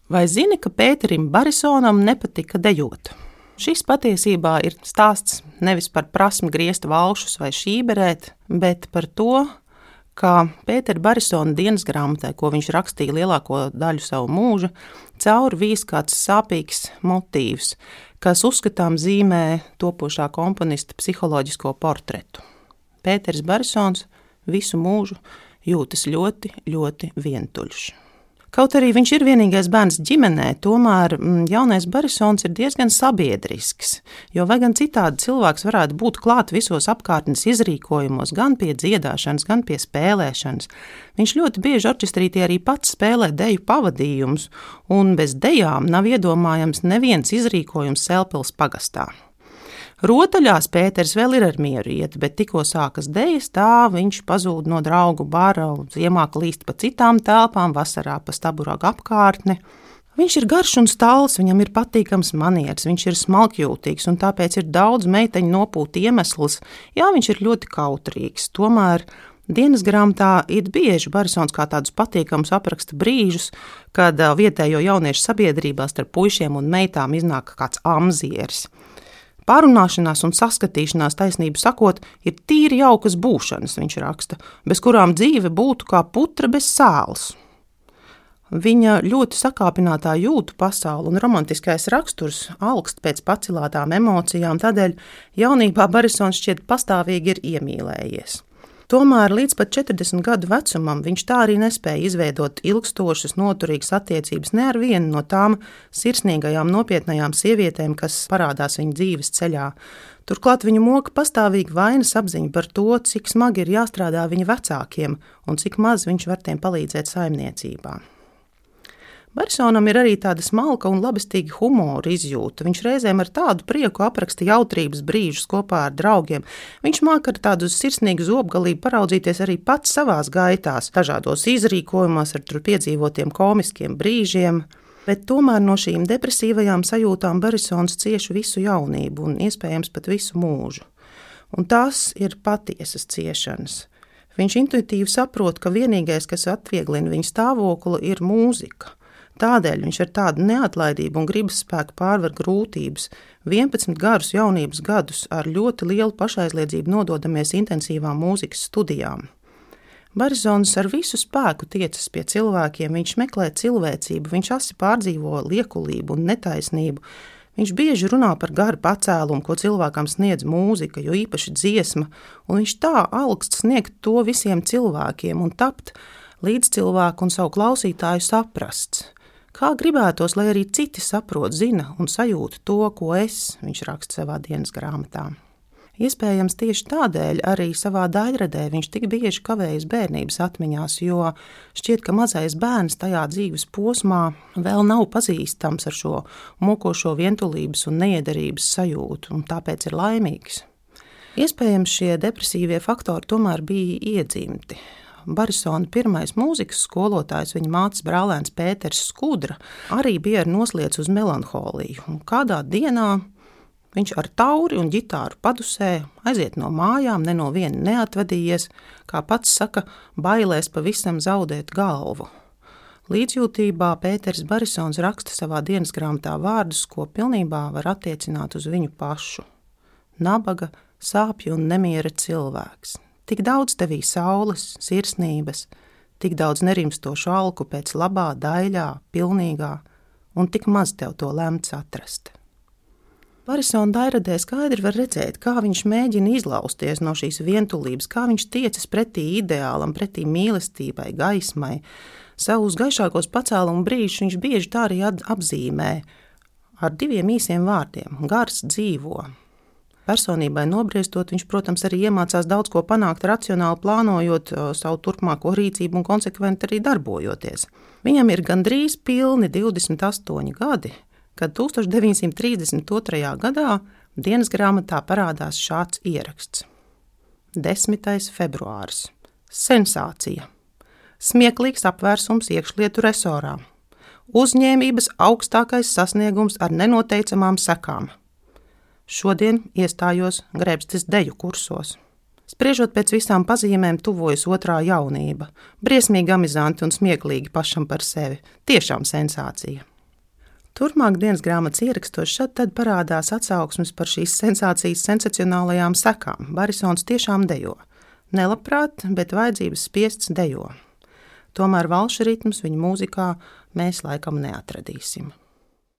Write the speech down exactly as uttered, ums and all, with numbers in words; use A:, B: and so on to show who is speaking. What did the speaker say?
A: Vai zini, ka Pēterim Barisonam nepatika dejot? Šis patiesībā ir stāsts nevis par prasmi griezt valšus vai šīberēt, bet par to, kā Pētera Barisona dienas grāmatai, ko viņš rakstīja lielāko daļu savu mūžu, cauri vīs kāds sāpīgs motīvs, kas uzskatām zīmē topošā komponista psiholoģisko portretu. Pēters Barisons visu mūžu jūtas ļoti, ļoti vientuļš. Kaut arī viņš ir vienīgais bērns ģimenē, tomēr jaunais Barisons ir diezgan sabiedrisks, jo vai gan citādi cilvēks varētu būt klāt visos apkārtnes izrīkojumos, gan pie dziedāšanas, gan pie spēlēšanas. Viņš ļoti bieži orķestrītī arī pats spēlē deju pavadījumus, un bez dejām nav iedomājams neviens izrīkojums Selpils pagastā. Rotaļās Pēters vēl ir ar mieru iet, bet tikko sākas dejas, tā viņš pazūd no draugu bara, ziemā klīst pa citām telpām, vasarā pa Staburagu apkārtni. Viņš ir garš un stāls, viņam ir patīkams manieris, viņš ir smalkjūtīgs, un tāpēc ir daudz meiteņu nopūt iemesls. Jā, viņš ir ļoti kautrīgs, tomēr dienas grāmatā ir bieži Barisons kā tādus patīkamus apraksta brīžus, kad vietējo jauniešu sabiedrībā starp puišiem un meitām iznāk kāds amzieris. Pārunāšanās un saskatīšanās, taisnību sakot, ir tīri jaukas būšanas, viņš raksta, bez kurām dzīve būtu kā putra bez sāls. Viņa ļoti sakāpinātā jūtu pasaule un romantiskais raksturs augst pēc pacilātām emocijām, tādēļ jaunībā Barisons šķiet pastāvīgi ir iemīlējies. Tomēr līdz pat četrdesmit gadu vecumam viņš tā arī nespēja izveidot ilgstošas, noturīgas attiecības ne ar vienu no tām sirsnīgajām, nopietnajām sievietēm, kas parādās viņa dzīves ceļā. Turklāt viņu moka pastāvīgi vainas apziņa par to, cik smagi ir jāstrādā viņa vecākiem un cik maz viņš var tiem palīdzēt saimniecībā. Barisonam ir arī tāda smalka un labestīga humora izjūta. Viņš reizēm ar tādu prieku apraksta jautrības brīžus kopā ar draugiem. Viņš māk ar tādu sirsnīgu zobgalību paraudzīties arī pats savās gaitās, dažādos izrīkojumos ar tur piedzīvotiem komiskiem brīžiem, bet tomēr no šīm depresīvajām sajūtām Barisons cieš visu jaunību un iespējams pat visu mūžu. Un tās ir patiesas ciešanas. Viņš intuitīvi saprot, ka vienīgais, kas atvieglina viņa stāvokli, ir mūzika. Tādēļ viņš ar tādu neatlaidību un gribas spēku pārvar grūtības. vienpadsmit garus jaunības gadus ar ļoti lielu pašaizliedzību nododamies intensīvām mūzikas studijām. Barisons ar visu spēku tiecas pie cilvēkiem, viņš meklē cilvēcību, viņš asi pārdzīvo liekulību un netaisnību. Viņš bieži runā par garu pacēlumu, ko cilvēkam sniedz mūzika, jo īpaši dziesma, un viņš tā augst sniegt to visiem cilvēkiem un tapt līdz cilvēku un savu klausītāju saprasts. Kā gribētos, lai arī citi saprot, zina un sajūt to, ko es, viņš raksta savā dienas grāmatā. Iespējams, tieši tādēļ arī savā daļradē viņš tik bieži kavējas bērnības atmiņās, jo šķiet, ka mazais bērns tajā dzīves posmā vēl nav pazīstams ar šo mokošo vientulības un neiederības sajūtu, un tāpēc ir laimīgs. Iespējams, šie depresīvie faktori tomēr bija iedzimti. Barisona pirmais mūzikas skolotājs, viņa mātes brālēns Pēters Skudra, arī bija ar nosliecu uz melanholiju. Un kādā dienā viņš ar tauri un ģitāru padusē aiziet no mājām, ne no viena neatvadījies, kā pats saka, bailēs pavisam zaudēt galvu. Līdzjūtībā Pēters Barisons raksta savā dienas grāmatā vārdus, ko pilnībā var attiecināt uz viņu pašu. Nabaga, sāpju un nemiera cilvēks. Tik daudz tevī saules, sirsnības, tik daudz nerimstošu alku pēc labā, daļā, pilnīgā, un tik maz tev to lemts atrast. Barisona daļradē skaidri var redzēt, kā viņš mēģina izlausties no šīs vientulības, kā viņš tiecas pretī ideālam, pretī mīlestībai, gaismai. Savus gaišākos pacēlumu brīžus viņš bieži tā arī apzīmē ar diviem īsiem vārdiem – gars dzīvo. Personībai nobriestot, viņš, protams, arī iemācās daudz ko panākt, racionāli plānojot savu turpmāko rīcību un konsekventi arī darbojoties. Viņam ir gandrīz pilni divdesmit astoņi gadi, kad tūkstoš deviņsimt trīsdesmit otrajā gadā dienas grāmatā parādās šāds ieraksts. desmitais februāris. Sensācija. Smieklīgs apvērsums iekšlietu resorā. Uzņēmības augstākais sasniegums ar nenoteicamām sekām. Šodien iestājos Grebstes deju kursos. Spriežot pēc visām pazīmēm, tuvojas otrā jaunība. Briesmīgi amizanti un smieklīgi pašam par sevi. Tiešām sensācija. Turpmāk dienas grāmatas ierakstos šad tad parādās atsauksmes par šīs sensācijas sensacionālajām sekām. Barisons tiešām dejo. Nelabprāt, bet vajadzības spiests dejo. Tomēr valšu ritmus viņa mūzikā mēs laikam neatradīsim.